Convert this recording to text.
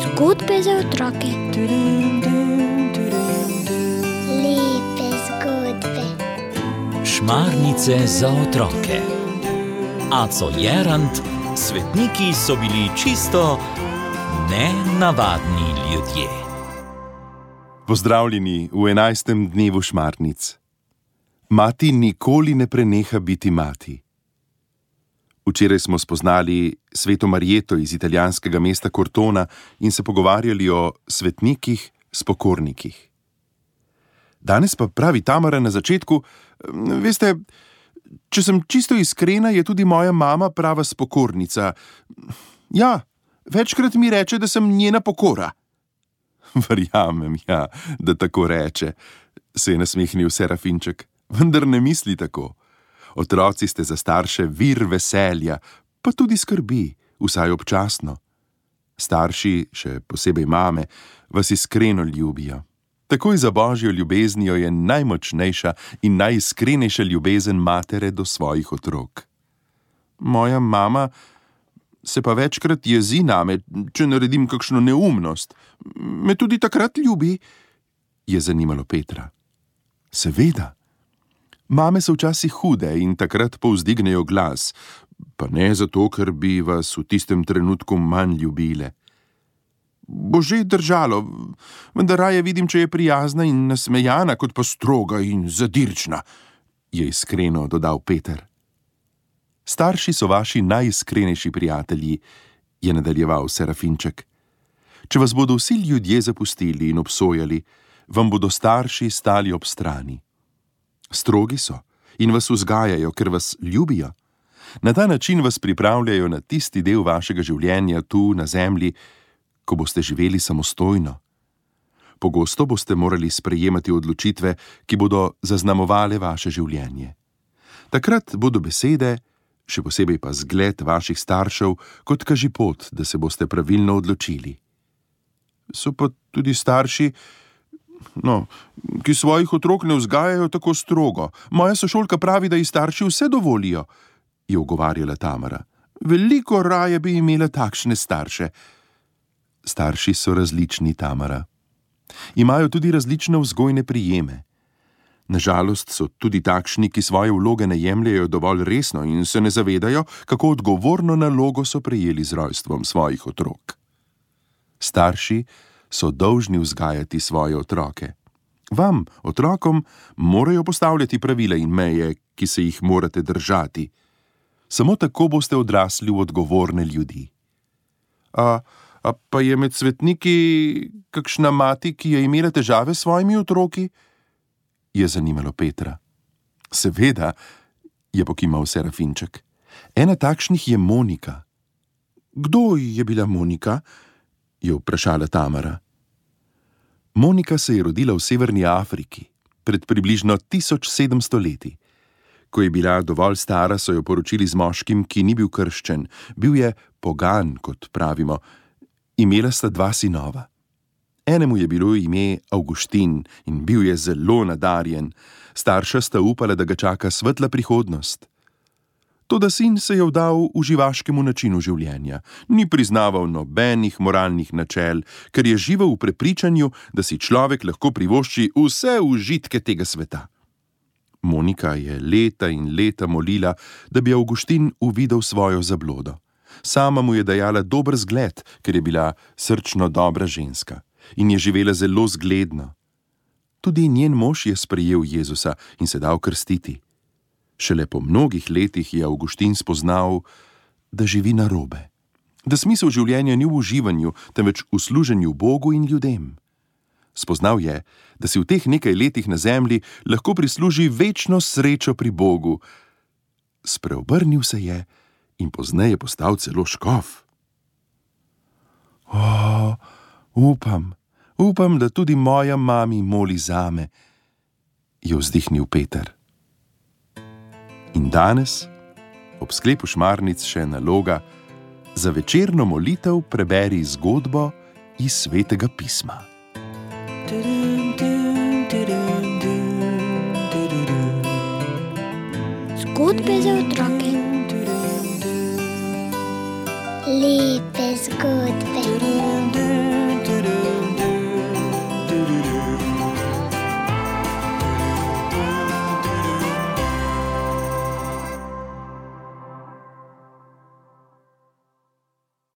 Zgodbe za otroke. Lepe zgodbe. Šmarnice za otroke. Aco Jerant, svetniki so bili čisto nenavadni ljudje. Pozdravljeni v 11. dnevu šmarnic. Mati nikoli ne preneha biti mati. Včeraj smo spoznali sveto Marjeto iz italijanskega mesta Cortona in se pogovarjali o svetnikih, spokornikih. Danes pa pravi Tamara na začetku, veste, če sem čisto iskrena, je tudi moja mama prava spokornica. Ja, večkrat mi reče, da sem njena pokora. Verjamem, ja, da tako reče, se je nasmehnil Serafinček, vendar ne misli tako. Otroci ste za starše vir veselja, pa tudi skrbi, vsaj občasno. Starši, še posebej mame, vas iskreno ljubijo. Takoj za božjo ljubeznijo je najmočnejša in najiskrenejša ljubezen matere do svojih otrok. Moja mama se pa večkrat jezi name, če naredim kakšno neumnost. Me tudi takrat ljubi, je zanimalo Petra. Seveda. Mame so včasih hude in takrat povzdignejo glas, pa ne zato, ker bi vas v tistem trenutku manj ljubile. Bo že držalo, vendar raje vidim, če je prijazna in nasmejana, kot pa stroga in zadirčna, je iskreno dodal Peter. Starši so vaši najiskrenejši prijatelji, je nadaljeval Serafinček. Če vas bodo vsi ljudje zapustili in obsojali, vam bodo starši stali ob strani. Strogi so in vas vzgajajo, ker vas ljubijo. Na ta način vas pripravljajo na tisti del vašega življenja tu na zemlji, ko boste živeli samostojno. Pogosto boste morali sprejemati odločitve, ki bodo zaznamovale vaše življenje. Takrat bodo besede, še posebej pa zgled vaših staršev, kot kažipot, da se boste pravilno odločili. So pa tudi starši, ki svojih otrok ne vzgajajo tako strogo. Moja sošolka pravi, da ji starši vse dovolijo, je ugovarjala Tamara. Veliko raje bi imela takšne starše. Starši so različni, Tamara. Imajo tudi različne vzgojne prijeme. Nažalost so tudi takšni, ki svoje vloge ne jemljejo dovolj resno in se ne zavedajo, kako odgovorno nalogo so prejeli z rojstvom svojih otrok. Starši so dolžni vzgajati svoje otroke. Vam, otrokom, morajo postavljati pravila in meje, ki se jih morate držati. Samo tako boste odrasli v odgovorne ljudi. Pa je med svetniki kakšna mati, ki je imela težave s svojimi otroki? Je zanimalo Petra. Seveda, je pokimal Serafinček. Ena takšnih je Monika. Kdo je bila Monika? Je vprašala Tamara. Monika se je rodila v Severni Afriki, pred približno 1700 leti. Ko je bila dovolj stara, so jo poročili z moškim, ki ni bil krščen. Bil je pogan, kot pravimo. Imela sta 2 sinova. Enemu je bilo ime Avguštin in bil je zelo nadarjen. Starša sta upala, da ga čaka svetla prihodnost. Toda sin se je vdal uživaškemu načinu življenja. Ni priznaval nobenih moralnih načel, ker je živel v prepričanju, da si človek lahko privošči vse užitke tega sveta. Monika je leta in leta molila, da bi Avguštin uvidel svojo zablodo. Sama mu je dajala dober zgled, ker je bila srčno dobra ženska in je živela zelo zgledno. Tudi njen mož je sprejel Jezusa in se dal krstiti. Šele po mnogih letih je Avguštin spoznal, da živi narobe. Da smisel življenja ni v uživanju, temveč v služenju Bogu in ljudem. Spoznal je, da si v teh nekaj letih na zemlji lahko prisluži večno srečo pri Bogu. Spreobrnil se je in pozneje postal celo škof. Upam, da tudi moja mami moli zame, je vzdihnil Peter. In danes, ob sklepu šmarnic še naloga, za večerno molitev preberi zgodbo iz Svetega pisma. Zgodbe za otroke. Lepe zgodbe.